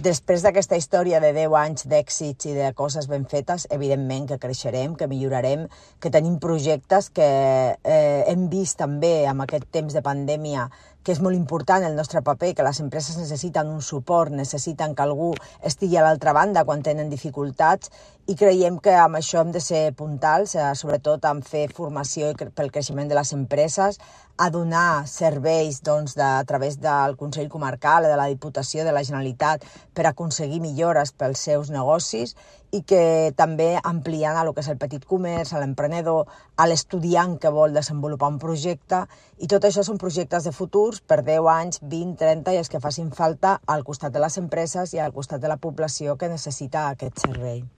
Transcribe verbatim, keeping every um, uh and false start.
Després d'aquesta història de deu anys d'èxits i de coses ben fetes, evidentment que creixerem, que millorarem, que tenim projectes que eh, hem vist també amb aquest temps de pandèmia que és molt important el nostre paper, que les empreses necessiten un suport, necessiten que algú estigui a l'altra banda quan tenen dificultats, i creiem que amb això hem de ser puntals, eh, sobretot en fer formació pel creixement de les empreses, a donar serveis doncs, de, a través del Consell Comarcal, de la Diputació, de la Generalitat, per aconseguir millores pels seus negocis, i que també ampliant a lo que és el petit comerç, a l'emprenedor, a l'estudiant que vol desenvolupar un projecte, i tot això són projectes de futurs per deu anys, vint, trenta i els que facin falta al costat de les empreses i al costat de la població que necessita aquest servei.